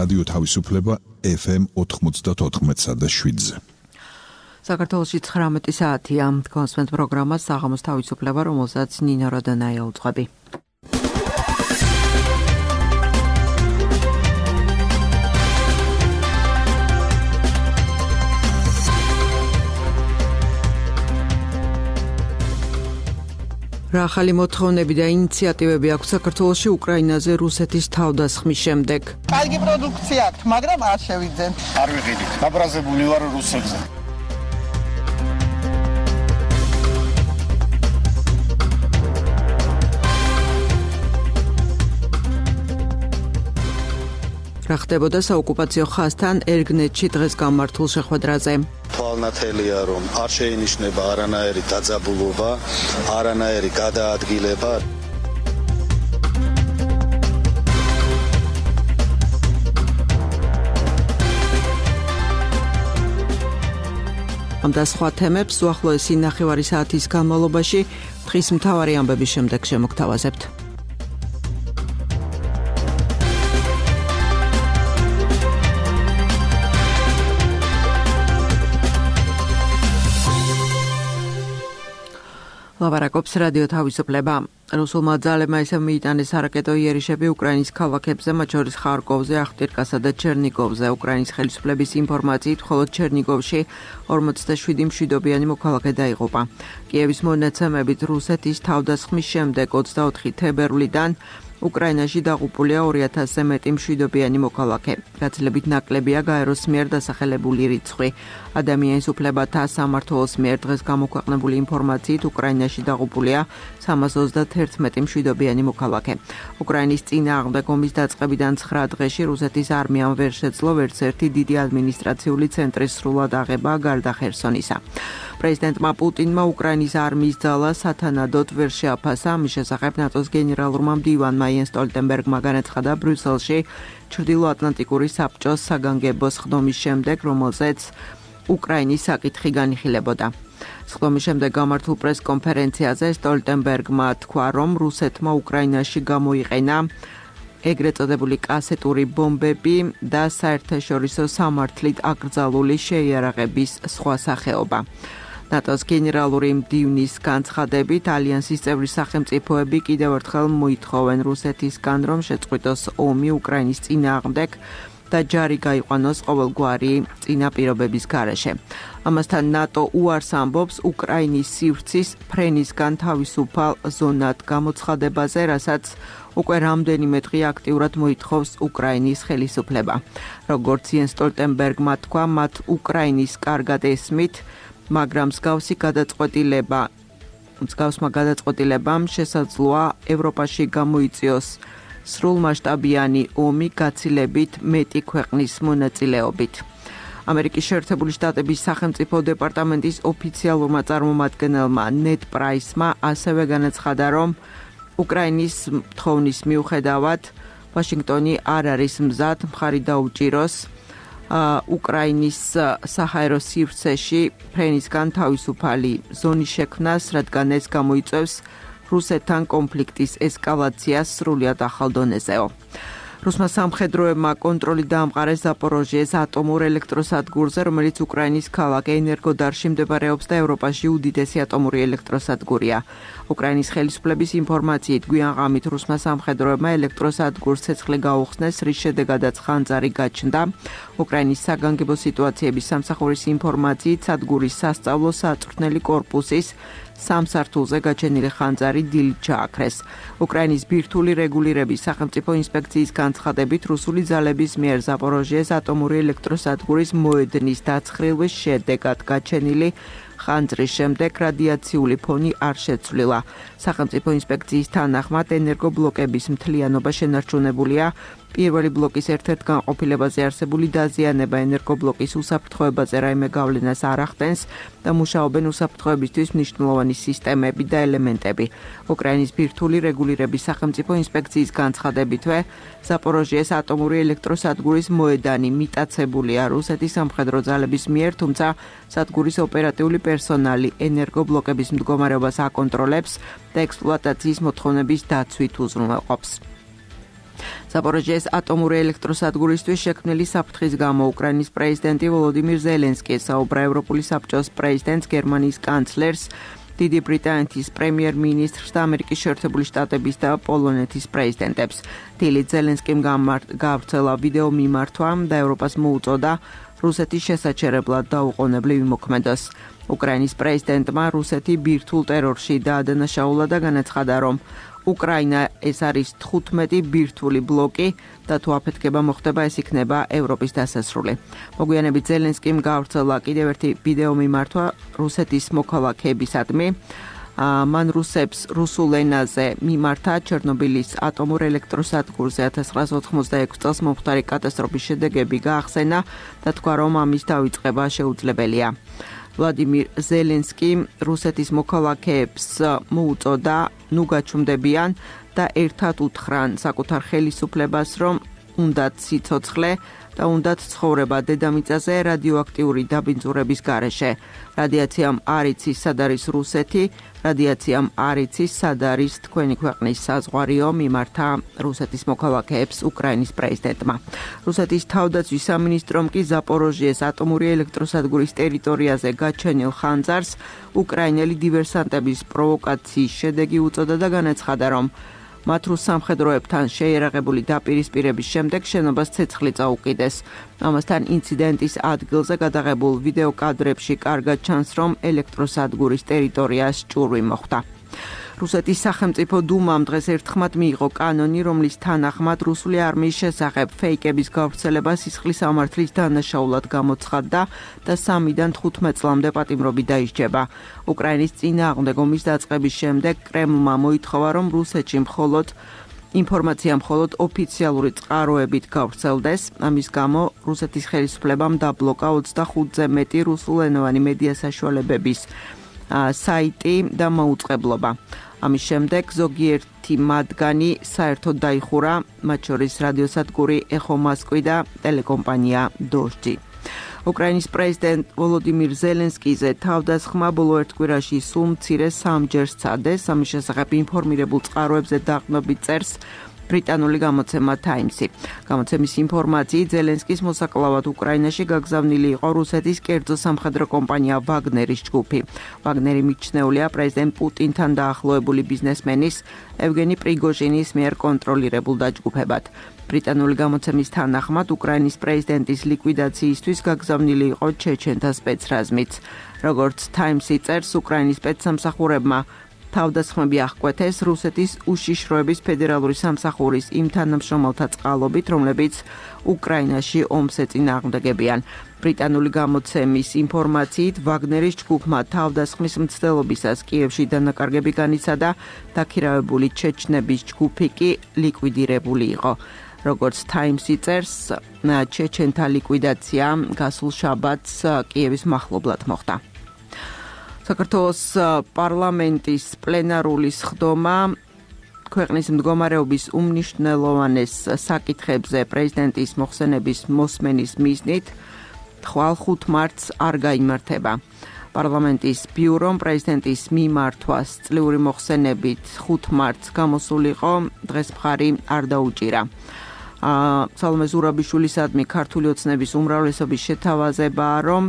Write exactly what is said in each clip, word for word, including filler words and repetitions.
რადიო თავისუფლება ეფ ემ ოთხმოცდაოთხ და შვიდზე. საქართველოში ცხრამეტი საათია. კონსვენთ პროგრამას საღამოს თავისუფლება, რომელსაც ნინო როდანაია უძღვები. რა ახალი მოთხოვნები და ინიციატივები აქვს საქართველოში უკრაინაზე რუსეთის თავდასხმის შემდეგ? კარგი პროდუქცია აქვს, მაგრამ არ შევიძენ. არ ვიყიდით. დაბრაზებული ვარ რუსებზე. რა ხდებოდა საოკუპაციო ხაზთან ერგნეთში დღეს გამართულ შეხვედრაზე? თვალნათელია, რომ არ შეინიშნება არანაირი დაძაბულობა, არანაირი გადაადგილება. ამ და სხვა თემებს უახლოესი ნახევარი საათის განმავლობაში დღის მთავარი ამბების შემდეგ შემოგთავაზებთ. ლაბარაკობს რადიო თავისუფლება. რუსულმა ძალებმა ისევ მიიტანეს არაკეტო იერიშები უკრაინის ქალაქებზე, მათ შორის ხარკოვზე, ახტირკასა და ჩერნიგოვზე. უკრაინის ხელისუფლების ინფორმაციით, მხოლოდ ჩერნიგოვში ორმოცდაშვიდი მშვიდობიანი მოქალაქე დაიღუპა. კიევის მონაცემებით რუსეთის თავდასხმის შემდეგ ოცდაოთხი თებერვლიდან უკრაინაში დაღუპულია ორი ათასზე მეტი მშვიდობიანი მოქალაქე. გაცილებით ნაკლებია გაეროს მიერ დასახელებული რიცხვი. ადამიანის უფლებათა სამმართველოს მიერ დღეს გამოქვეყნებული ინფორმაციით უკრაინაში დაღუპულია სამას ოცდაათი მშვიდობიანი მოქალაქე. უკრაინის წინააღმდეგ ომის დაწყებიდან ცხრა დღეში რუსეთის არმიამ ვერ შეძლო ვერც ერთი დიდი ადმინისტრაციული ცენტრის სრულად აღება გარდა ხერსონისა. პრეზიდენტმა პუტინმა უკრაინის არმიის ძალა სათანადოდ ვერ შეაფასა. ამის შესახებ ნატოს გენერალურმა მდივანმა იენს სტოლტენბერგმა განაცხადა ბრიუსელში ჩრდილოატლანტიკური საბჭოს საგანგებოს ხდომის შემდეგ, რომელზეც უკრაინის საკითხი განიხილებოდა. ხდომის შემდეგ გამართულ პრესკონფერენციაზე სტოლტენბერგმა თქვა, რომ რუსეთმა უკრაინაში გამოიყენა ეგრეთ წოდებული კასეტური ბომბები და საერთაშორისო სამართლით აკრძალული შეიარაღების სხვა სახეობა. ნატოს გენერალური მდივნის განცხადებით, ალიანსის წევრი სახელმწიფოები კიდევ ერთხელ მოითხოვენ რუსეთისგან, რომ შეწყვიტოს ომი უკრაინის წინააღმდეგ და ჯარი გაიყვანოს ყოველგვარი წინაპირობების გარეშე. ამასთან ნატო უარს ამბობს უკრაინის სივრცის ფრენისგან თავისუფალ ზონად გამოცხადებაზე, რასაც უკვე რამდენიმე დღე აქტიურად მოითხოვს უკრაინის ხელისუფლება. როგორც იენს სტოლტენბერგმა თქვა, მათ უკრაინის კარგად ესმით, მაგრამ მსგავსი გადაწყვეტილება, მსგავსმა გადაწყვეტილებამ შესაძლოა ევროპაში გამოიწვიოს სრულმასშტაბიანი ომი გაცილებით მეტი ქვეყნის მონაწილეობით. ამერიკის შეერთებული შტატების სახელმწიფო დეპარტამენტის ოფიციალურმა წარმომადგენელმა ნედ პრაისმა ასევე განაცხადა, რომ უკრაინის თხოვნის მიუხედავად ვაშინგტონი არ არის მზად მხარი დაუჭიროს უკრაინის საჰაერო სივრცეში ფრენისგან თავისუფალი ზონის შექმნას, რადგან ეს გამოიწვევს რუსეთთან კონფლიქტის ესკალაციას სრულიად ახალ დონეზეო. რუსმა სამხედროებმა კონტროლი დაამყარეს ზაპოროჟიეს ატომურ ელექტროსადგურზე, რომელიც უკრაინის ქალაქ ენერგოდარში მდებარეობს და ევროპაში უდიდესი ატომური ელექტროსადგურია. უკრაინის ხელისუფლების ინფორმაციით, გვიან ღამით რუსმა სამხედროებმა ელექტროსადგურს ცეცხლი გაუხსნეს, რის შედეგადაც ხანძარი გაჩნდა. უკრაინის საგანგებო სიტუაციების სამსახურის ინფორმაციით, სადგურის სასწავლო საწვრთნელი კორპუსის სამ სართულზე გაჩენილი ხანძარი დილით ჩააქრეს. უკრაინის ბირთვული რეგულირების სახელმწიფო ინსპექციის განცხადებით, რუსული ძალების მიერ ზაპოროჟიეს ატომური ელექტროსადგურის მოედნის დაცხრილვის შედეგად გაჩენილი ხანძრის შემდეგ რადიაციული ფონი არ შეცვლილა. სახელმწიფო ინსპექციის თანახმად ენერგობლოკების მთლიანობა შენარჩუნებულია. პირველი ბლოკის ერთ-ერთ განყოფილებაზე არსებული დაზიანება ენერგობლოკის უსაფრთხოებაზე რაიმე გავლენას არ ახდენს და მუშაობენ უსაფრთხოებისთვის მნიშვნელოვანი სისტემები და ელემენტები. უკრაინის ბირთვული რეგულირების სახელმწიფო ინსპექციის განცხადებითვე, ზაპოროჟიეს ატომური ელექტროსადგურის მოედანი მიტაცებულია რუსეთის სამხედრო ძალების მიერ, თუმცა სადგურის ოპერატიული პერსონალი ენერგობლოკების მდგომარეობას აკონტროლებს და ექსპლუატაციის მოთხოვნების დაცვით უზრუნველყოფს. ზაპოროჟიეს ატომური ელექტროსადგურისთვის შექმნილი საფრთხის გამო უკრაინის პრეზიდენტი ვოლოდიმირ ზელენსკი საუბრა ევროპული საბჭოს პრეზიდენტს, გერმანიის კანცლერს, დიდი ბრიტანეთის პრემიერ-მინისტრს და ამერიკის შეერთებული შტატების და პოლონეთის პრეზიდენტებს. დილით ზელენსკიმ გაავრცელა ვიდეო მიმართვა და ევროპას მოუწოდა რუსეთის შესაჩერებლად დაუყოვნებლივ იმოქმედოს. უკრაინის პრეზიდენტმა რუსეთი ბირთვულ ტერორში დაადანაშაულა და განაცხადა, რომ უკრაინა ეს არის თხუთმეტი ბირთვული ბლოკი და თუ აფეთქება მოხდება, ეს იქნება ევროპის დასასრული. მოგვიანებით ზელენსკიმ გაავრცელა კიდევ ერთი ვიდეო მიმართვა რუსეთის მოქალაქეებისადმი. მან რუსებს რუსულ ენაზე მიმართა ჩერნობილის ატომურ ელექტროსადგურზე ათას ცხრაას ოთხმოცდაექვსი წელს მომხდარი კატასტროფის შედეგები გაახსენა და თქვა, რომ ამის დავიწყება შეუძლებელია. ვლადიმირ ზელენსკი რუსეთის მოქალაქეებს მოუწოდა ნუ გაჩუმდებიან და ერთად უთხრან საკუთარ ხელისუფლებას, რომ უნდათ სიცოცხლე და უნდათ ცხოვრება დედამიწაზე რადიოაქტიური დაბინძურების გარეშე. რადიაციამ არ იცის სად არის რუსეთი, რადიაციამ არ იცის სად არის თქვენი ქვეყნის საზღვარიო, მიმართა რუსეთის მოქალაქეებს უკრაინის პრეზიდენტმა. რუსეთის თავდაცვის სამინისტრომ კი ზაპოროჟიეს ატომური ელექტროსადგურის ტერიტორიაზე გაჩენილ ხანძარს უკრაინელი დივერსანტების პროვოკაციის შედეგი უწოდა და განაცხადა, რომ მათ რუს სამხედროებთან შეიარაღებული დაპირისპირების შემდეგ შენობას ცეცხლი წაუკიდეს. ამასთან ინციდენტის ადგილზე გადაღებულ ვიდეო კადრებში კარგად ჩანს, რომ ელექტროსადგურის ტერიტორიას ჭურვი მოხვდა. რუსეთის სახელმწიფო დუმამ დღეს ერთხმად მიიღო კანონი, რომლის თანახმად რუსული არმიის შესახებ ფეიკების გავრცელება სისხლის სამართლის დანაშაულად გამოცხადდა და სამიდან თხუთმეტ წლამდე პატიმრობით დაისჯება. უკრაინის წინააღმდეგ ომის დაწყების შემდეგ კრემლმა მოითხოვა, რომ რუსეთში მხოლოდ ინფორმაცია მხოლოდ ოფიციალური წყაროებით გავრცელდეს. ამის გამო რუსეთის ხელისუფლებამ დაბლოკა ოცდახუთზე მეტი რუსულენოვანი მედია საშუალებების საიტი და მოუწყებლობა. ამის შემდეგ ზოგიერთი მათგანი საერთოდ დაიხურა, მათ შორის რადიოსადგური ეხო მოსკოვი და ტელეკომპანია დოჟდი. უკრაინის პრეზიდენტ ვოლოდიმირ ზელენსკიზე თავდასხმა ბოლო ერთ კვირაში სულ მცირე სამჯერ სცადეს. ამის შესახებ ინფორმირებულ წყაროებზე დაყრდნობით წერს ბრიტანული გამოცემა Times-ი. გამოცემის ინფორმაციით ზელენსკის მოსაკლავად უკრაინაში გაგზავნილი იყო რუსეთის კერძო სამხედრო კომპანია ვაგნერის ჯგუფი. ვაგნერი მიჩნეულია პრეზიდენტ პუტინთან დაახლოებული ბიზნესმენის ევგენი პრიგოჟინის მიერ კონტროლირებულ დაჯგუფებად. ბრიტანული გამოცემის თანახმად უკრაინის პრეზიდენტის ლიკვიდაციისთვის გაგზავნილი იყო ჩეჩენთა სპეცრაზმიც. როგორც Times-ი წერს, უკრაინის სპეცსამსახურებმა თავდასხმები აღკვეთეს რუსეთის უშიშროების ფედერალური სამსახურის იმ თანამშრომელთა წყალობით, რომლებიც უკრაინაში ომს ეწინააღმდეგებიან. ბრიტანული გამოცემის ინფორმაციით, ვაგნერის ჯგუფმა თავდასხმის მცდელობისას კიევში დანაკარგები განიცადა, დაქირავებული ჩეჩნების ჯგუფი კი ლიკვიდირებული იყო. როგორც Times-ი წერს, ჩეჩენთა ლიკვიდაცია გასულ შაბათს კიევის მახლობლად მოხდა. საქართველოს პარლამენტის პლენარული სხდომა ქვეყნის მდგომარეობის უმნიშვნელოვანეს საკითხებზე პრეზიდენტის მოხსენების მოსმენის მიზნით ხვალ ხუთ მარტს არ გაიმართება. პარლამენტის ბიურომ პრეზიდენტის მიმართვას წლიური მოხსენებით ხუთ მარტს გამოსულიყო, დღეს მხარი არ დაუჭირა. სალომე ზურაბიშვილისადმი ქართული ოცნების უმრავლესობის შეთავაზებაა, რომ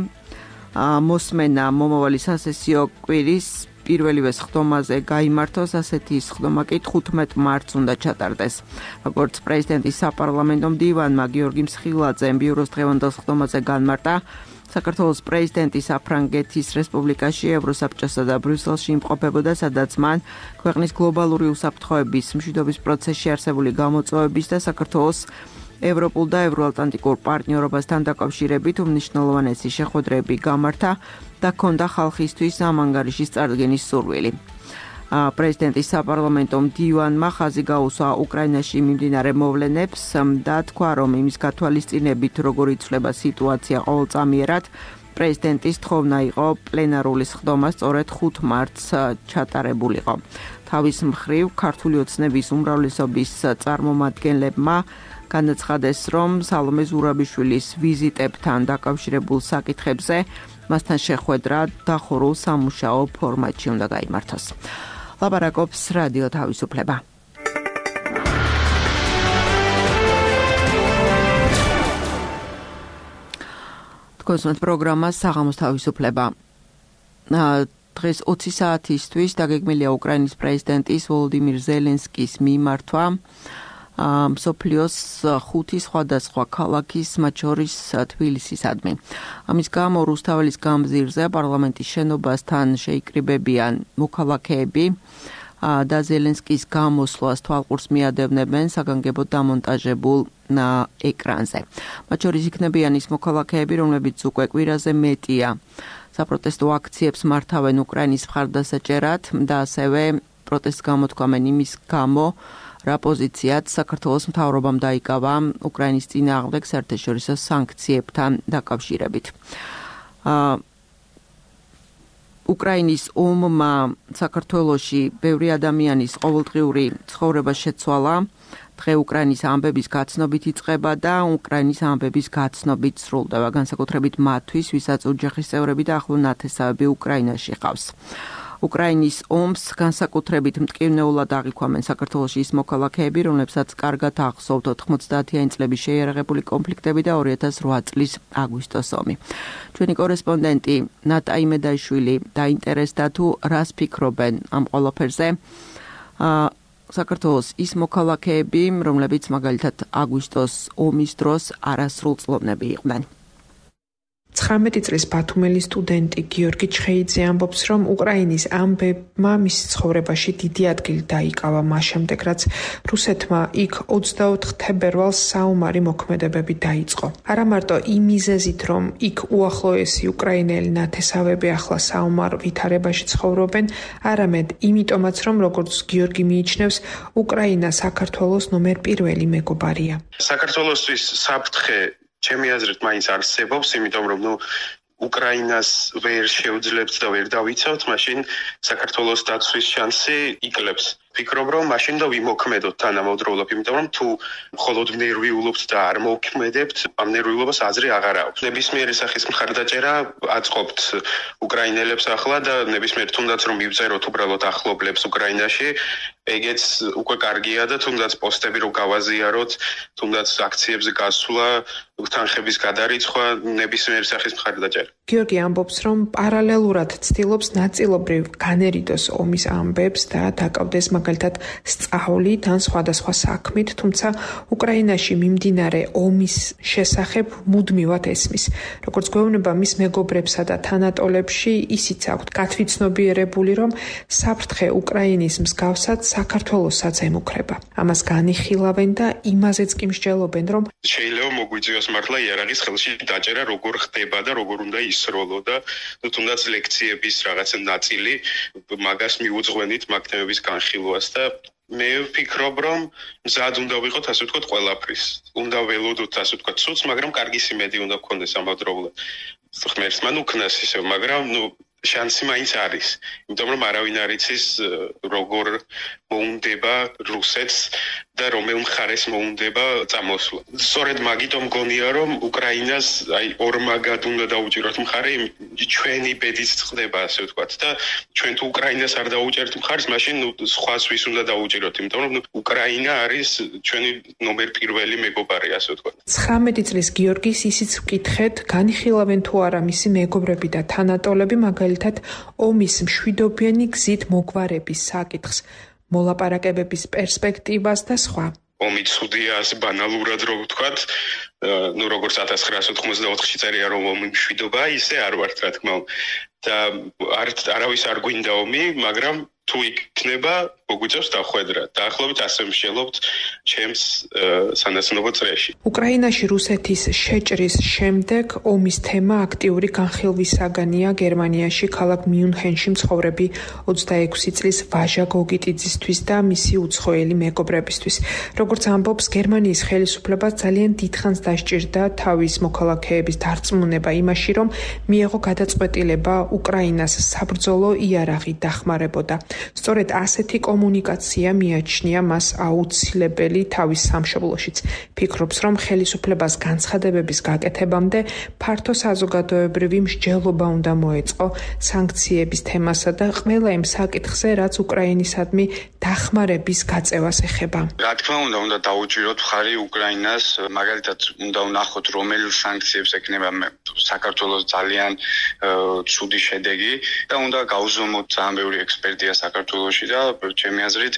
მოსმენა მომავალი სასესიო კვირის პირველივე სხდომაზე გაიმართოს, ასეთი სხდომა კი თხუთმეტ მარტს უნდა ჩატარდეს. როგორც პრეზიდენტის საპარლამენტო მდივანმა გიორგი მსხილაძემ ბიუროს დღევანდელ სხდომაზე განმარტა, საქართველოს პრეზიდენტი საფრანგეთის რესპუბლიკაში, ევროსაბჭოსა და ბრიუსელში იმყოფებოდა, სადაც მან ქვეყნის გლობალური უსაფრთხოების მშვიდობის პროცესში არსებული გამოწვევების და საქართველოს ევროპულ და ევროატლანტიკურ პარტნიორობასთან დაკავშირებით უმნიშვნელოვანესი შეხვედრები გამართა და ჰქონდა ხალხისთვის ამ ანგარიშის წარდგენის სურვილი. პრეზიდენტის საპარლამენტო მდივანმა ხაზი გაუსვა უკრაინაში მიმდინარე მოვლენებს და თქვა, რომ იმის გათვალისწინებით, როგორ იცვლება სიტუაცია ყოველწამიერად, პრეზიდენტის თხოვნა იყო პლენარული სხდომა სწორედ ხუთ მარტს ჩატარებულიყო. თავის მხრივ, ქართული ოცნების უმრავლესობის წარმომადგენლებმა განაცხადეს, რომ სალომე ზურაბიშვილის ვიზიტებთან დაკავშირებულ საკითხებზე მასთან შეხვედრა დახურულ სამუშაო ფორმატში უნდა გაიმართოს. ლაპარაკობს რადიო თავისუფლება. გოსმენთ პროგრამა საღამოს თავისუფლება. დღეს ოცი საათისთვის დაგეგმილია უკრაინის პრეზიდენტის ვოლოდიმირ ზელენსკის მიმართვა მსოფლიოს ხუთი სხვადასხვა ქალაქის, მათ შორის თბილისისადმი. ამის გამო რუსთაველის გამზირზე პარლამენტის შენობასთან შეიკრიბებიან მოქალაქეები და ზელენსკის გამოსვლას თვალყურს მიადევნებენ საგანგებოდ დამონტაჟებულ ეკრანზე. მათ შორის იქნებიან ის მოქალაქეები, რომლებიც უკვე კვირაზე მეტია საპროტესტო აქციებს მართავენ უკრაინის მხარდასაჭერად და ასევე პროტესტს გამოთქვამენ იმის გამო, რა პოზიციაც საქართველოს მთავრობამ დაიკავა უკრაინის წინააღმდეგ საერთაშორისო სანქციებთან დაკავშირებით. უკრაინის ომმა საქართველოში ბევრი ადამიანის ყოველდღიური ცხოვრება შეცვალა. დღე უკრაინის ამბების გაცნობით იწყება და უკრაინის ამბების გაცნობით სრულდება, განსაკუთრებით მათთვის, ვისაც ოჯახის წევრები და ახლო ნათესავები უკრაინაში ყავს. უკრაინის ომს განსაკუთრებით მტკივნეულად აღიქვამენ საქართველოში ის მოქალაქეები, რომლებსაც კარგად ახსოვთ ოთხმოცდაათიანი წლების შეიარაღებული კონფლიქტები და ორი ათას რვა წლის აგვისტოს ომი. ჩვენი კორესპონდენტი ნატა იმედაშვილი დაინტერესდა თუ რას ფიქრობენ ამ ყველაფერზე საქართველოს ის მოქალაქეები, რომლებიც მაგალითად აგვისტოს ომის დროს არასრულწლოვნები იყვნენ. ცხრამეტი წლის ბათუმელი სტუდენტი გიორგი ჩხეიძე ამბობს, რომ უკრაინის ამბებმა მის ცხოვრებაში დიდი ადგილი დაიკავა მას შემდეგ, რაც რუსეთმა იქ ოცდაოთხ თებერვალს საომარი მოქმედებები დაიწყო. არა მარტო იმ მიზეზით, რომ იქ უახლოესი უკრაინელი ნათესავები ახლა საომარ ვითარებაში ცხოვრობენ, არამედ იმიტომაც, რომ როგორც გიორგი მიიჩნევს, უკრაინა საქართველოს ნომერ პირველი მეგობარია. საქართველოსთვის საფრთხე ჩემი აზრით მაინც არსებობს, იმიტომ რომ ნუ უკრაინას ვერ შეუძლებთ და ვერ დავიცავთ, მაშინ საქართველოს დაცვის შანსი იკლებს. ვფიქრობ, რომ მაშინ და ვიმოქმედოთ თანამედროვეულად, იმიტომ რომ თუ მხოლოდ ნერვიულობთ და არ მოვქმედებთ, ამ ნერვიულობას აზრი აღარ აქვს. ნებისმიერი სახის მხარდაჭერა აწყობთ უკრაინელებს ახლა და ნებისმიერ თუნდაც რომ მივწეროთ უბრალოდ ახლობლებს უკრაინაში, ეგეც უკვე კარგია და თუნდაც პოსტები რო გავაზიაროთ, თუნდაც აქციებზე გასვლა, თანხების გადარიცხვა, ნებისმიერი სახის მხარდაჭერა. გიორგი ამბობს, რომ პარალელურად ცდილობს ნაწილობრივ განერიდოს ომის ამბებს და დაკავდეს მაგალითად სწავლით ან სხვადასხვა საქმით, თუმცა უკრაინაში მიმდინარე ომის შესახებ მუდმივად ესმის. როგორც გვეუბნება მის მეგობრებსა და თანატოლებში, ისიც აქვთ გათვითცნობიერებული, რომ საფრთხე უკრაინის მსგავსად საქართველოსაც ემუქრება. ამას განიხილავენ და იმაზეც კი მსჯელობენ, რომ შეიძლება მოგვიწევს მართლა იარაღის ხელში დაჭერა როგორ ხდება და როგორ უნდა ისროლო და თუნდაც ლექციების რაღაცა ნაწილი მაგას მიუძღვენით მაგ თემების განხილვას და მე ვფიქრობ, რომ მზად უნდა ვიყოთ, ასე ვთქვათ, ყველაფრის. უნდა ველოდოთ, ასე ვთქვათ, ცუც, მაგრამ კარგი სიმედი უნდა გქონდეს ამავდროულად. ღმერთს მან უკნას ისევ, მაგრამ ნუ შანსი მაინც არის. იმიტომ რომ არავინ არ იცის როგორ მოუნდება რუსეთს და რომელ მხარეს მოუნდება წამოსვლა. სწორედ მაგიტომ მგონია, რომ უკრაინას აი ორმაგად უნდა დაუჭიროთ მხარე, ჩვენი ბედიც ხდება, ასე ვთქვათ და ჩვენ თუ უკრაინას არ დაუჭერთ მხარს, მაშინ სხვას ვის უნდა დაუჭიროთ, იმიტომ რომ უკრაინა არის ჩვენი ნომერ პირველი მეგობარი, ასე ვთქვათ. ცხრამეტი წლის გიორგის ისიც ვკითხეთ, განიხილავენ თუ არა მისი მეგობრები და თანატოლები მაგალითად ომის მშვიდობიანი გზით მოგვარების საკითხს, მოლაპარაკებების პერსპექტივას და სხვა. ომი ცუდია, ასე ბანალურად რო ვთქვათ, ნუ როგორც ათას ცხრაასი ოთხმოცდაოთხში წერია რომ ომი მშვიდობაა, ისე არ ვართ, რა თქმა უნდა. და არ არავის არ გვინდა ომი, მაგრამ თუ იქნება, მოგვიწევს დახვედრა. დაახლოებით ასე მსჯელობთ ჩემს სანაცნობო წრეში. უკრაინაში რუსეთის შეჭრის შემდეგ ომის თემა აქტიური განხილვისაგანია გერმანიაში ქალაქ მიუნხენში მცხოვრები ოცდაექვსი წლის ვაჟა გოგიტიძისთვის და მისი უცხოელი მეგობრებისთვის. როგორც ამბობს, გერმანიის ხელისუფლებას ძალიან დიდხანს დასჭირდა თავის მოქალაქეების დარწმუნება იმაში, რომ მიეღო გადაწყვეტილება უკრაინას საბრძოლო იარაღი დახმარებოდა. სწორედ ასეთი კომუნიკაცია მიაჩნია მას აუცილებელი თავის სამშობლოშიც. ფიქრობს, რომ ხელისუფლებას განცხადებების გაკეთებამდე ფართო საზოგადოებრივი მსჯელობა უნდა მოეწყო სანქციების თემასა და ყველა იმ საკითხზე, რაც უკრაინისადმი დახმარების გაწევას ეხება. რა თქმა უნდა, უნდა დაუჭიროთ მხარი უკრაინას, მაგალითად უნდა ვნახოთ, რომელი სანქციებს ექნება საქართველოს ძალიან ცუდი შედეგი და უნდა გავუზომოთ ძალიან ბევრი ექსპერტია საქართველოში და ჩემი აზრით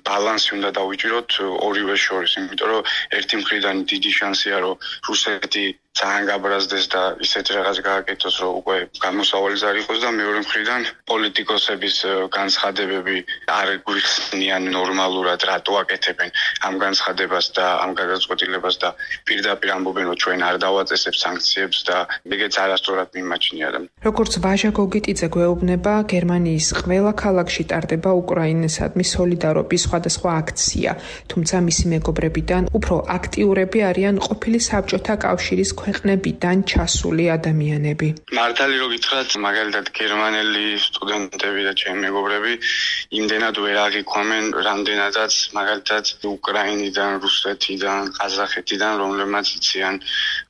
ბალანსი უნდა დავიჭიროთ ორივე შორის, იმიტომ რომ ერთი მხრიდან დიდი შანსია, რომ რუსეთი ძალიან გაბრაზდეს და ისეთ რაღაც გააკეთოს, რომ უკვე გამოსავალი არ იყოს და მეორე მხრიდან პოლიტიკოსების განცხადებები არ გვიხსნიან ნორმალურად, რატო აკეთებენ ამ განცხადებას და ამ გადაწყვეტილებას და პირდაპირ ამბობენ, რომ ჩვენ არ დავაწესებთ სანქციებს და ეგეც არასწორად მიმაჩნია. როგორც ვაჟა გოგიტიძე გვეუბნება, გერმანიის ყველა ქალაქში ტარდება უკრაინისადმი სოლიდარობის სხვადასხვა აქცია, თუმცა მისი მეგობრებიდან უფრო აქტიურები არიან ყოფილი საბჭოთა კავშირის ქვეყნებიდან ჩასული ადამიანები. მართალი რო გითხრათ, მაგალითად გერმანელი სტუდენტები და ჩემი მეგობრები იმდენად ვერ აღიქვამენ, რამდენადაც მაგალითად უკრაინიდან, რუსეთიდან, ყაზახეთიდან, რომლებმაც იციან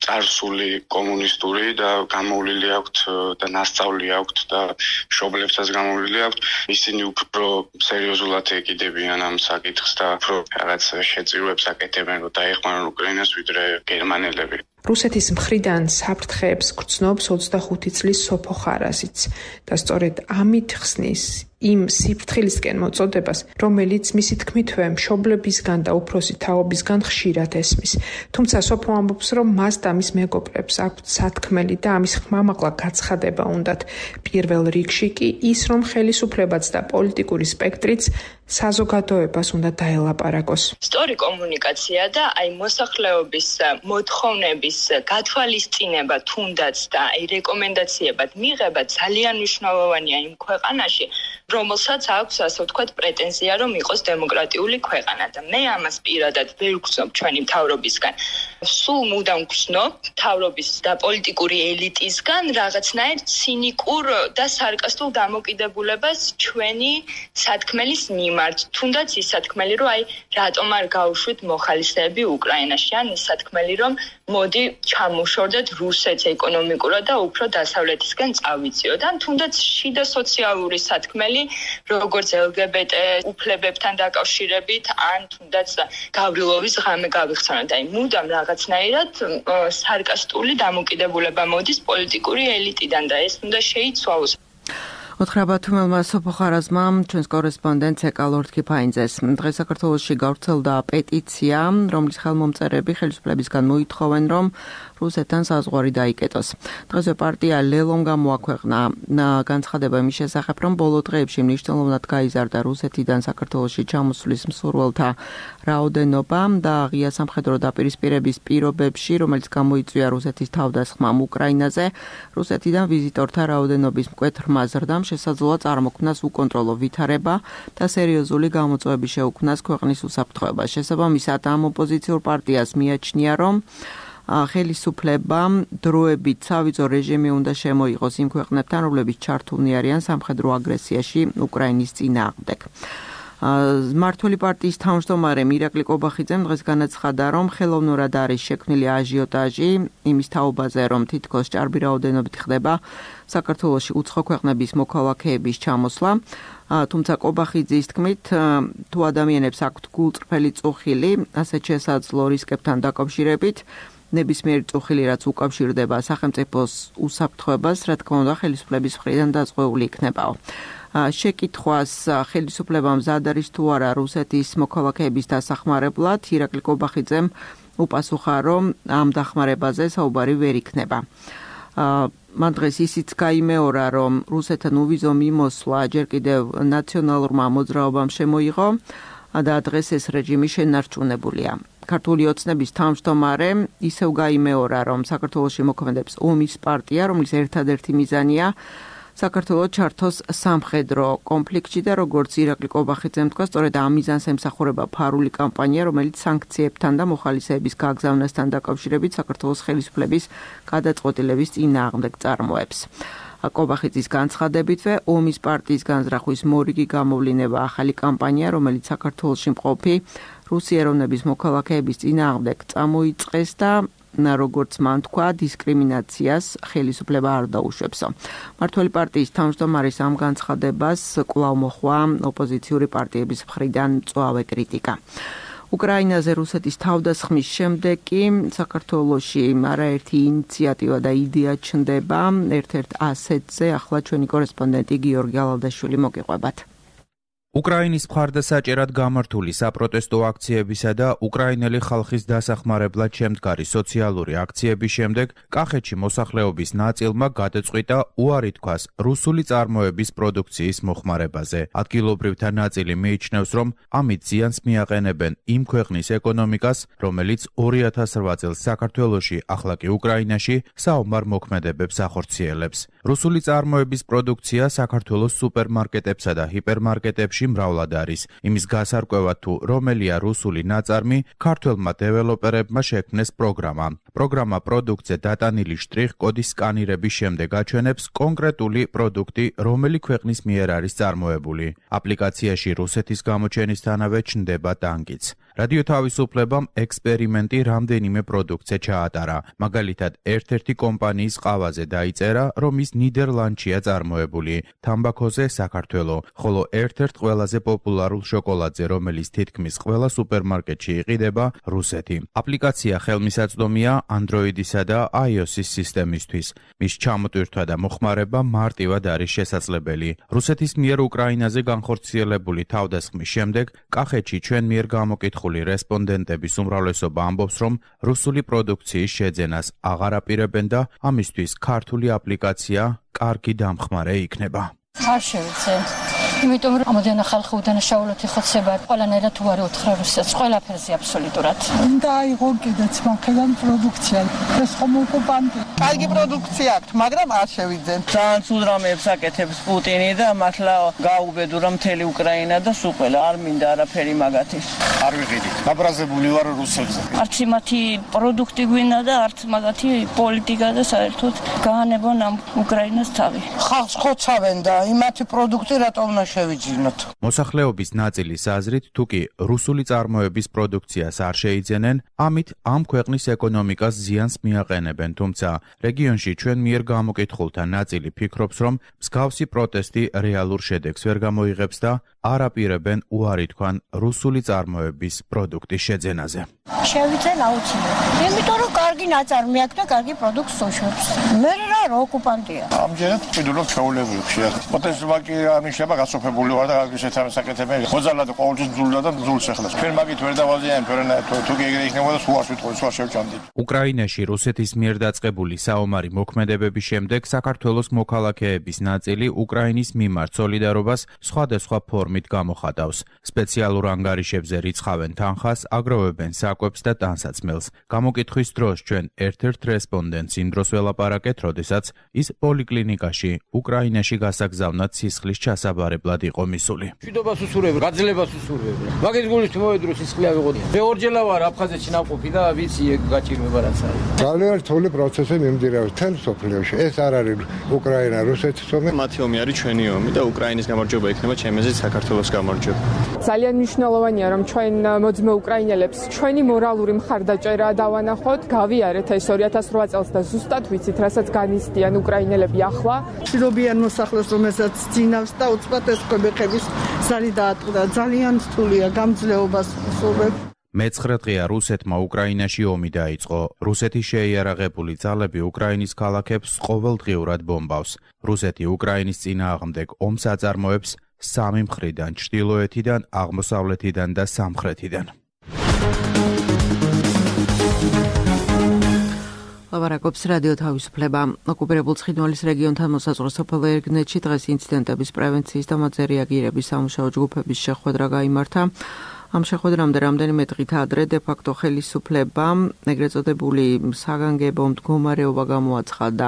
წარსული კომუნისტური და გამოვლილი აქვთ და ნასწავლი აქვთ და მშობლებსაც გამოვლილი აქვთ, ისინი უფრო სერიოზულად ეკიდებიან ამ საკითხს და უფრო რაღაც შეწირვებს აკეთებენ, რომ დაეხმარონ უკრაინას, ვიდრე გერმანელები. რუსეთის მხრიდან საფრთხეებს გრძნობს ოცდახუთი წლის სოფო ხარაზიც და სწორედ ამით ხსნის იმ სიფრთხილისკენ მოწოდებას, რომელიც მისი თქმითვე მშობლებისგან და უფროსი თაობისგან ხშირად ესმის. თუმცა სოფო ამბობს, რომ მას და მის მეგობრებს აქვთ სათქმელი და ამის ხმამაღლა გაცხადება უნდათ. პირველ რიგში კი ის, რომ ხელისუფლებაც და პოლიტიკური სპექტრიც საზოგადოებას უნდა დაელაპარაკოს. სწორი კომუნიკაცია და აი მოსახლეობის მოთხოვნების გათვალისწინება თუნდაც და აი რეკომენდაციებად მიღება ძალიან მნიშვნელოვანია იმ ქვეყანაში, რომელსაც აქვს ასე ვთქვათ პრეტენზია, რომ იყოს დემოკრატიული ქვეყანა და მე ამას პირადად ვერ ვგრძნობ ჩვენი მთავრობისგან. სულ მუდამ ვგრძნობ მთავრობის და პოლიტიკური ელიტისგან რაღაცნაირ ცინიკურ და სარკასტულ დამოკიდებულებას ჩვენი სათქმელის მიმართ. თუნდაც ის სათქმელი, რომ აი რატომ არ გაუშვით მოხალისეები უკრაინაში, ან ის სათქმელი, რომ მოდი ჩამოშორდეთ რუსეთს ეკონომიკურად და უფრო დასავლეთისკენ წავიწიოთ. ან თუნდაც შიდა სოციალური სათქმელი, როგორც ელ გი ბი ტი უფლებებთან დაკავშირებით, ან თუნდაც გავრილოვის ღამე გავიხსენოთ. აი მუდამ რაღაცნაირად სარკასტული დამოკიდებულება მოდის პოლიტიკური ელიტიდან და ეს უნდა შეიცვალოს. უთხრა თუმელმა სოფო ხარაზმა ჩვენს კორესპონდენტს ეკალორდ ქიფაინძეს. დღეს საქართველოში გავრცელდა პეტიცია, რომლის ხელმომწერები ხელისუფლებისგან მოითხოვენ, რომ რუსეთთან საზღვარი დაიკეტოს. დღესვე პარტია ლელომ გამოაქვეყნა განცხადება იმის შესახებ, რომ ბოლო დღეებში მნიშვნელოვნად გაიზარდა რუსეთიდან საქართველოში ჩამოსვლის მსურველთა რაოდენობა და ღია სამხედრო დაპირისპირების პირობებში, რომელიც გამოიწვია რუსეთის თავდასხმამ უკრაინაზე, რუსეთიდან ვიზიტორთა რაოდენობის მკვეთრმა ზრდამ შესაძლოა წარმოქმნას უკონტროლო ვითარება და სერიოზული გამოწვევები შეუქმნას ქვეყნის უსაფრთხოებას. შესაბამისად, ამ ოპოზიციურ პარტიას მიაჩნია, რომ ხელისუფლება დროებით სავიზო რეჟიმი უნდა შემოიღოს იმ ქვეყნებთან, რომლებიც ჩართულნი არიან სამხედრო აგრესიაში უკრაინის წინააღმდეგ. მმართველი პარტიის თავმჯდომარე ირაკლი კობახიძემ დღეს განაცხადა, რომ ხელოვნურად არის შექმნილი აჟიოტაჟი იმის თაობაზე, რომ თითქოს ჭარბი რაოდენობით ხდება საქართველოში უცხო ქვეყნების მოქალაქეების ჩამოსვლა. თუმცა კობახიძის თქმით, თუ ადამიანებს აქვთ გულწრფელი წუხილი, ასეთ შესაძლო რისკებთან დაკავშირებით, ნებისმიერი წუხილი, რაც უკავშირდება სახელმწიფოს უსაფრთხოებას, რა თქმა უნდა, ხელისუფლების მხრიდან დაზღვეული იქნებაო. შეკითხვას ხელისუფლებამ მზად არის თუ არა რუსეთის მოქალაქეების დასახმარებლად, ირაკლი კობახიძემ უპასუხა, რომ ამ დახმარებაზე საუბარი ვერ იქნება. მან დღეს ისიც გაიმეორა, რომ რუსეთთან უვიზო მიმოსვლა ჯერ კიდევ ნაციონალურმა მოძრაობამ შემოიღო და დღეს ეს რეჟიმი შენარჩუნებულია. ქართული ოცნების თავმჯდომარე ისევ გაიმეორა, რომ საქართველოში მოქმედებს ომის პარტია, რომლის ერთადერთი მიზანია საქართველოს ჩართოს სამხედრო კონფლიქტში და როგორც ირაკლი კობახიძემ თქვა, სწორედ ამ მიზანს ემსახურება ფარული კამპანია, რომელიც სანქციებთან და მოხალისეების გაგზავნასთან დაკავშირებით საქართველოს ხელისუფლების გადაწყვეტილების წინააღმდეგ წარმოებს. კობახიძის განცხადებითვე ომის პარტიის განზრახვის მორიგი გამოვლინება ახალი კამპანია, რომელიც საქართველოში მყოფი რუსი ეროვნების მოქალაქეების წინააღმდეგ წამოიწყეს და როგორც მან თქვა, დისკრიმინაციას ხელისუფლება არ დაუშვებს. მმართველი პარტიის თავმჯდომარის ამ განცხადებას კვლავ მოჰყვა ოპოზიციური პარტიების მხრიდან მწვავე კრიტიკა. უკრაინაზე რუსეთის თავდასხმის შემდეგ კი საქართველოში არაერთი ინიციატივა და იდეა ჩნდება. ერთ-ერთ ასეთზე ახლა ჩვენი კორესპონდენტი გიორგი ალალდაშვილი მოგიყვებათ. უკრაინის მხარდასაჭერად გამართული საპროტესტო აქციებისა და უკრაინელი ხალხის დასახმარებლად შემდგარი სოციალური აქციების შემდეგ კახეთში მოსახლეობის ნაწილმა გადაწყვიტა უარი თქვას რუსული წარმოების პროდუქციის მოხმარებაზე. ადგილობრივთა ნაწილი მიიჩნევს, რომ ამით ზიანს მიაყენებენ იმ ქვეყნის ეკონომიკას, რომელიც ორი ათას რვა წელს საქართველოში, ახლა კი უკრაინაში საომარ მოქმედებებს ახორციელებს. რუსული წარმოების პროდუქცია საქართველოს სუპერმარკეტებსა და ჰიპერმარკეტებში მრავლად არის. იმის გასარკვევად თუ რომელია რუსული ნაწარმი, ქართველმა დეველოპერებმა შექმნეს პროგრამა. პროგრამა პროდუქტზე დატანილი შტრიხ-კოდის სკანირების შემდეგ აჩვენებს კონკრეტული პროდუქტი, რომელი ქვეყნის მიერ არის წარმოებული. აპლიკაციაში რუსეთის გამოჩენისთანავე ჩნდება ტანკიც. რადიო თავისუფლებამ ექსპერიმენტი რამდენიმე პროდუქტზე ჩაატარა. მაგალითად, ერთ-ერთი კომპანიის ყავაზე დაიწერა, რომ ის ნიდერლანდშია წარმოებული, თამბაქოზე საქართველო, ხოლო ერთ-ერთ ყველაზე პოპულარულ შოკოლადზე, რომელიც თითქმის ყველა სუპერმარკეტში იყიდება, რუსეთი. აპლიკაცია ხელმისაწვდომია Android-ისა და iOS-ის სისტემისთვის. მის ჩამოტვირთვა და მოხმარება მარტივად არის შესაძლებელი. რუსეთის მიერ უკრაინაზე განხორციელებული თავდასხმის შემდეგ კახეთში ჩვენ მიერ გამოკითხული რესპონდენტების უმრავლესობა ამბობს, რომ რუსული პროდუქციის შეძენას აღარ აპირებენ და ამისთვის ქართული აპლიკაცია კარგი დამხმარე იქნება. არ შევიცე. იმიტომ რომ ამოდენა ხალხი უდანაშაულოდ იხოცება, ყველანაირად უარი უთხრა რუსეთს, ყველაფერზე აბსოლუტურად. უნდა აიღო კიდეც მაქედან პროდუქცია. ეს ხომ ოკუპანტი. კარგი პროდუქცია აქვს, მაგრამ არ შევიძენ. ძალიან ცუდ რამეებს აკეთებს პუტინი და მართლა გაუბედურა მთელი უკრაინა და სულ ყველა არ მინდა არაფერი მაგათი. არ ვიყიდი. გაბრაზებული ვარ რუსებზე. არც მათი პროდუქტი გვინდა და არც მაგათი პოლიტიკა და საერთოდ გაანებონ ამ უკრაინას თავი. ხალხს ხოცავენ და იმათი პროდუქტი რატომ უნდა შევიძინოთ? მოსახლეობის ნაწილის აზრით, თუკი რუსული წარმოების პროდუქციას არ შეიძენენ, ამით ამ ქვეყნის ეკონომიკას ზიანს მიაყენებენ, თუმცა რეგიონში ჩვენ მიერ გამოკითხულთა ნაწილი ფიქრობს, რომ მსგავსი პროტესტი რეალურ შედეგს ვერ გამოიღებს და არ აპირებენ უარი თქვან რუსული წარმოების პროდუქტის შეძენაზე. შევიძენ აუცილებლად. იმიტომ რომ კარგი ნაწარმი აქვს და კარგი პროდუქტს უშვებს. მე რა ოკუპანტია. ამჯერად ვფიქრობ ჩაულებრივ შეახ. პროტესტმა კი ამიშება გასოფებული ვარ და გაგიშეთ ამ საკეთებელი. ხოძალა და ყოველთვის ძულა და ძულს ეხლას. ჩვენ მაგით ვერ დავაზიანებ, თუ თუ ეგრე იქნებოდა სულას ვიტყვი, სულ შევჭამდი. უკრაინაში რუსეთის მიერ დაწყებული საომარი მოქმედებების შემდეგ საქართველოს მოქალაქეების ნაწილი უკრაინის მიმართ სოლიდარობას სხვადასხვა ფორმით გამოხატავს. სპეციალურ ანგარიშებზე რიცხავენ თანხას, აგროვებენ საკვებს და ტანსაცმელს. გამოკითხვის დროს ჩვენ ერთ-ერთ რესპონდენტს იმ დროს ველაპარაკეთ, როდესაც ის პოლიკლინიკაში უკრაინაში გასაგზავნად სისხლის ჩასაბარებლად იყო მისული. მშვიდობას უსურვებ, გაძლებას უსურვებ. მაგის გულით მოვედრო სისხლი ავიღოთ. მე ორჯერ ვარ აფხაზეთში ნავყოფი და ვიცი ეგ გაჭირვება რაც არის. ძალიან რთული პროცესი მიმდინარეობს თელ სოფლიოში. ეს არ არის უკრაინა, რუსეთის ომი. მათი ომი არის ჩვენი ომი და უკრაინის გამარჯვება იქნება ჩემი აზრით საქართველოს გამარჯვება. ძალიან მნიშვნელოვანია, რომ ჩვენ მოძმე უკრაინელებს ჩვენი მორალური მხარდაჭერა დავანახოთ, გავიარეთ ეს ორი ათას რვა წელს და ზუსტად ვიცით, რასაც განიცდიან უკრაინელები ახლა. მშვიდობიან მოსახლეს, რომელსაც ძინავს და უცბად ეს კვებეხების ზარი დაატყდა. ძალიან რთულია გამძლეობას ვსურვებ. მეცხრე დღეა რუსეთმა უკრაინაში ომი დაიწყო. რუსეთი შეიარაღებული ძალები უკრაინის ქალაქებს ყოველდღიურად ბომბავს. რუსეთი უკრაინის წინააღმდეგ ომს აწარმოებს სამი მხრიდან, ჩრდილოეთიდან, აღმოსავლეთიდან და სამხრეთიდან. ლაპარაკობს რადიო თავისუფლება. ოკუპირებულ ცხინვალის რეგიონთან მოსაზღვრე სოფელ ერგნეთში დღეს ინციდენტების პრევენციის და მათზე რეაგირების სამუშაო ჯგუფების შეხვედრა გაიმართა. ამ შეხვედრამდე რამდენიმე დღით ადრე დე-ფაქტო ხელისუფლებამ ეგრეთ წოდებული საგანგებო მდგომარეობა გამოაცხადა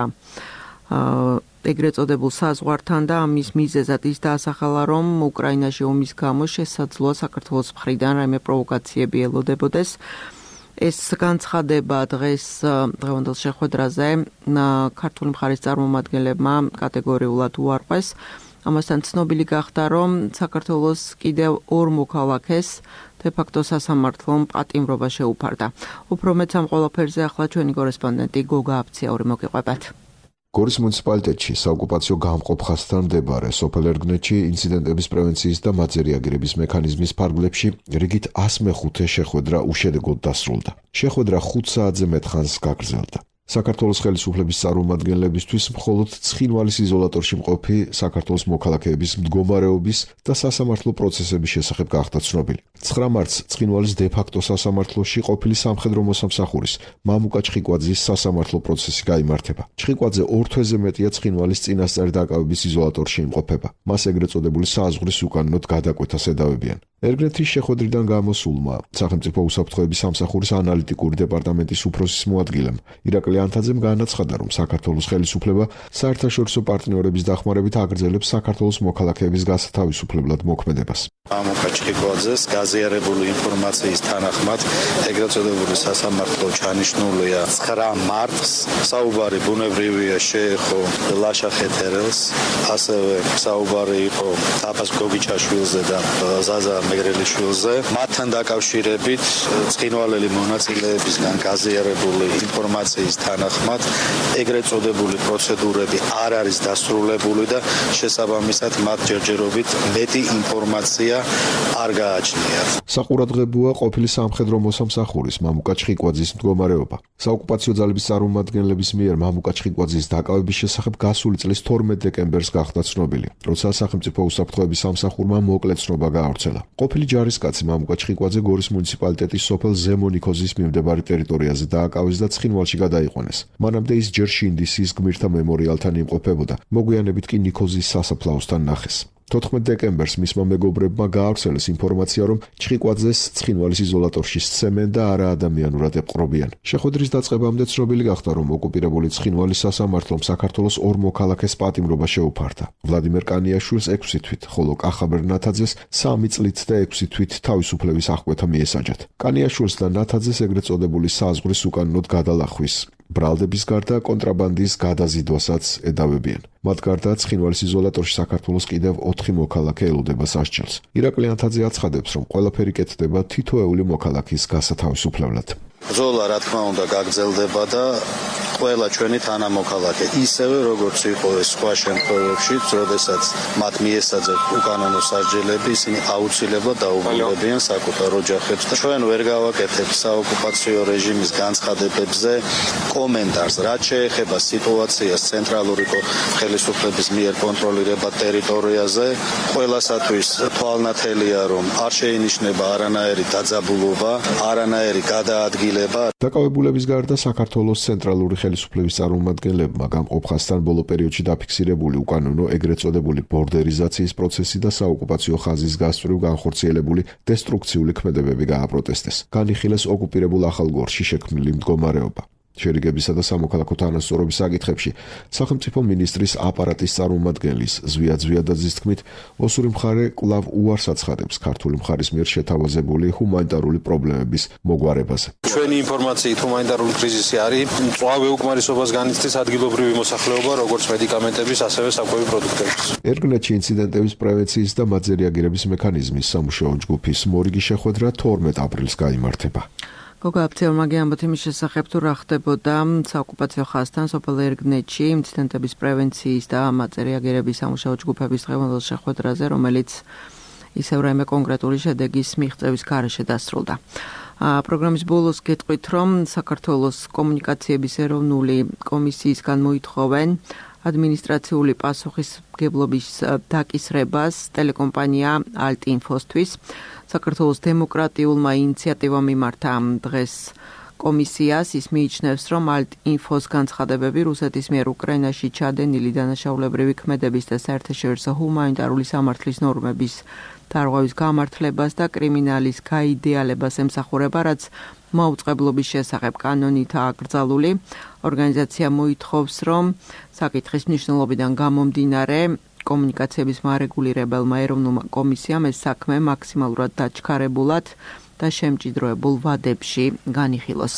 ეგრეთ წოდებულ საზღვართან და ამის მიზეზად ის დაასახელა, რომ უკრაინაში ომის გამო შესაძლოა საქართველოს მხრიდან რაიმე პროვოკაციები ელოდებოდეს. ეს განცხადება დღეს დღევანდელ შეხვედრაზე ქართული მხარის წარმომადგენლებმა კატეგორიულად უარყვეს. ამასთან ცნობილი გახდა, რომ საქართველოს კიდევ ორ მოქალაქეს დე-ფაქტო სასამართლომ პატიმრობა შეუფარდა. უფრო მეც ამ ყველაფერზე ახლა ჩვენი კორესპონდენტი გოგა აფციაური მოგიყვებათ. გორის მუნიციპალიტეტში საოკუპაციო გამყოფხასთან მდებარე სოფელ ერგნეთში ინციდენტების პრევენციის და მათზე რეაგირების მექანიზმის ფარგლებში რიგით ას მეხუთე შეხვედრა უშედეგოდ დასრულდა. შეხვედრა ხუთ საათზე მეტ ხანს გაგრძელდა. საქართველოს ხელისუფლების წარმომადგენლებისთვის მხოლოდ ცხინვალის იზოლატორში მყოფი საქართველოს მოქალაქეების მდგომარეობის და სასამართლო პროცესების შესახებ გახდა ცნობილი. ცხრა მარტს ცხინვალის დე-ფაქტო სასამართლოში ყოფილი სამხედრო მოსამსახურის მამუკა ჩხიკვაძის სასამართლო პროცესი გაიმართება. ჩხიკვაძე ორ თვეზე მეტია ცხინვალის წინასწარ დაკავების იზოლატორში იმყოფება. მას ეგრეთ წოდებული საზღვრის უკანონოდ გადაკვეთას ედავებიან. ერგნეთის შეხვედრიდან გამოსულმა სახელმწიფო უსაფრთხოების სამსახურის ანალიტიკური დეპარტამენტის უფროსის მოადგილემ ირაკლი ანთაძემ განაცხადა, რომ საქართველოს ხელისუფლება საერთაშორისო პარტნიორების დახმარებით აგრძელებს საქართველოს მოქალაქეების გასათავისუფლებლად მოქმედებას. მამუკა ჩხიკვაძეს გაზიარებული ინფორმაციის თანახმად ეგრეთ წოდებული სასამართლო ჩანიშნულია ცხრა მარტს. საუბარი ბუნებრივია შეეხო ლაშა ხეთერელს, ასევე საუბარი იყო დაბას გოგიჩაშვილზე და ზაზა მეგრელიშვილზე. მათთან დაკავშირებით ცხინვალელი მონაწილეებისგან გაზიარებული ინფორმაციის თანახმად ეგრეთ წოდებული პროცედურები არ არის დასრულებული და შესაბამისად მათ ჯერჯერობით მეტი ინფორმაცია არ გააჩნიათ. საყურადღებოა ყოფილი სამხედრო მოსამსახურის მამუკა ჩხიკვაძის მდგომარეობა. საოკუპაციო ძალების წარმომადგენლების მიერ მამუკა ჩხიკვაძის დაკავების შესახებ გასული წლის თორმეტ დეკემბერს გახდა ცნობილი, როცა სახელმწიფო უსაფრთხოების სამსახურმა მოკლე ცნობა გაავრცელა. ყოფილი ჯარისკაცი მამუკა ჩხიკვაძე გორის მუნიციპალიტეტის სოფელ ზემონიქოზის მიმდებარე ტერიტორიაზე დააკავეს და ცხინვალში გადაიყვანეს. მანამდე ის ჯერ შინდისის გმირთა მემორიალთან იმყოფებოდა, მოგვიანებით კი ნიქოზის სასაფლაოსთან ნახეს. თოთხმეტ დეკემბერს მისმა მეგობრებმა გაავრცელეს ინფორმაცია, რომ ჩხიკვაძეს ცხინვალის იზოლატორში სცემენ და არა ადამიანურად ეპყრობიან. შეხვედრის დაწყებამდე ცნობილი გახდა, რომ ოკუპირებული ცხინვალის სასამართლომ საქართველოს ორ მოქალაქეს პატიმრობა შეუფარდა. ვლადიმერ კანიაშვილს ექვსი თვით, ხოლო კახაბერ ნათაძეს სამი წლით და ექვსი თვით თავისუფლების აღკვეთა მიესაჯათ. კანიაშვილს და ნათაძეს ეგრეთ წოდებული საზღვრის უკანონოდ გადალახვის ბრალდების გარდა კონტრაბანდის გადაზიდვასაც ედავებიან. მათ გარდა ცხინვალის იზოლატორში საქართველოს კიდევ ოთხი მოქალაქე ელოდება სასჯელს. ირაკლი ანთაძე აცხადებს, რომ ყველაფერი კეთდება თითოეული მოქალაქის გასათავისუფლებლად. ბრძოლა რა თქმა უნდა გაგრძელდება და ყველა ჩვენი თანამოქალაქე ისევე როგორც იყო ეს სხვა შემთხვევებში, როდესაც მათ მიესაძათ უკანონო სასჯელები, ისინი აუცილებლად დაუბრუნდებიან საკუთარ ოჯახებს და ჩვენ ვერ გავაკეთებთ საოკუპაციო რეჟიმის განცხადებებზე კომენტარს, რაც შეეხება სიტუაციას ცენტრალური ხელისუფლების მიერ კონტროლირებად ტერიტორიაზე. ყველასათვის თვალნათელია, რომ არ შეინიშნება არანაირი დაძაბულობა, არანაირი გადაადგილება. დაკავებულების გარდა საქართველოს ცენტრალური ხელისუფლების წარმომადგენლებმა გამყოფხასთან ბოლო პერიოდში დაფიქსირებული უკანონო ეგრეთ წოდებული ბორდერიზაციის პროცესი და საოკუპაციო ხაზის გასწვრივ განხორციელებული დესტრუქციული ქმედებები გააპროტესტეს. განიხილეს ოკუპირებულ ახალგორში შექმნილი მდგომარეობა. შერიგებისა და სამოქალაქო თანასწორობის საკითხებში სახელმწიფო მინისტრის აპარატის წარმომადგენლის ზვია ზვიადაძის თქმით, ოსური მხარე კვლავ უარს აცხადებს ქართული მხარის მიერ შეთავაზებული ჰუმანიტარული პრობლემების მოგვარებაზე. ჩვენი ინფორმაციით ჰუმანიტარული კრიზისი არის მწვავე უკმარისობას განიცდის ადგილობრივი მოსახლეობა, როგორც მედიკამენტების, ასევე საკვები პროდუქტების. ერგნეთში ინციდენტების პრევენციის და მათზე რეაგირების მექანიზმის სამუშაო ჯგუფის მორიგი შეხვედრა თორმეტ აპრილს გაიმართება. გოგა აფციაურმა გეამბოთ იმის შესახებ, თუ რა ხდებოდა საოკუპაციო ხაზთან სოფელ ერგნეთში ინციდენტების პრევენციის და მათზე რეაგირების სამუშაო ჯგუფების დღევანდელ შეხვედრაზე, რომელიც ისევ რაიმე კონკრეტული შედეგის მიღწევის გარეშე დასრულდა. პროგრამის ბოლოს გეტყვით, რომ საქართველოს კომუნიკაციების ეროვნული კომისიისგან მოითხოვენ ადმინისტრაციული პასუხისმგებლობის დაკისრებას ტელეკომპანია ალტ-ინფოსთვის. საქართველოს დემოკრატიულმა ინიციატივამ იმართა დღეს კომისიას. ის მიიჩნევს, რომ ალტ-ინფოს განცხადებები რუსეთის მიერ უკრაინაში ჩადენილი დანაშაულებრივი ქმედების და საერთაშორისო ჰუმანიტარული სამართლის ნორმების დარღვევის გამართლებას და კრიმინალის გაიდეალებას ემსახურება, რაც მაუწყებლობის შესახებ კანონითაა აკრძალული. ორგანიზაცია მოითხოვს, რომ საკითხის მნიშვნელობიდან გამომდინარე კომუნიკაციების მარეგულირებელმა ეროვნულმა კომისიამ ეს საქმე მაქსიმალურად დაჩქარებულად და შემჭიდროებულ ვადებში განიხილოს.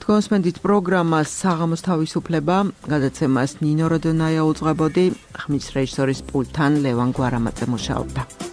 კონსპენდით პროგრამას საღამოს თავისუფლება გადაცემას ნინო როდონაია უძღვებოდი, ხმის რეჟისორის პულტთან ლევან გვარამაძე მუშაობდა.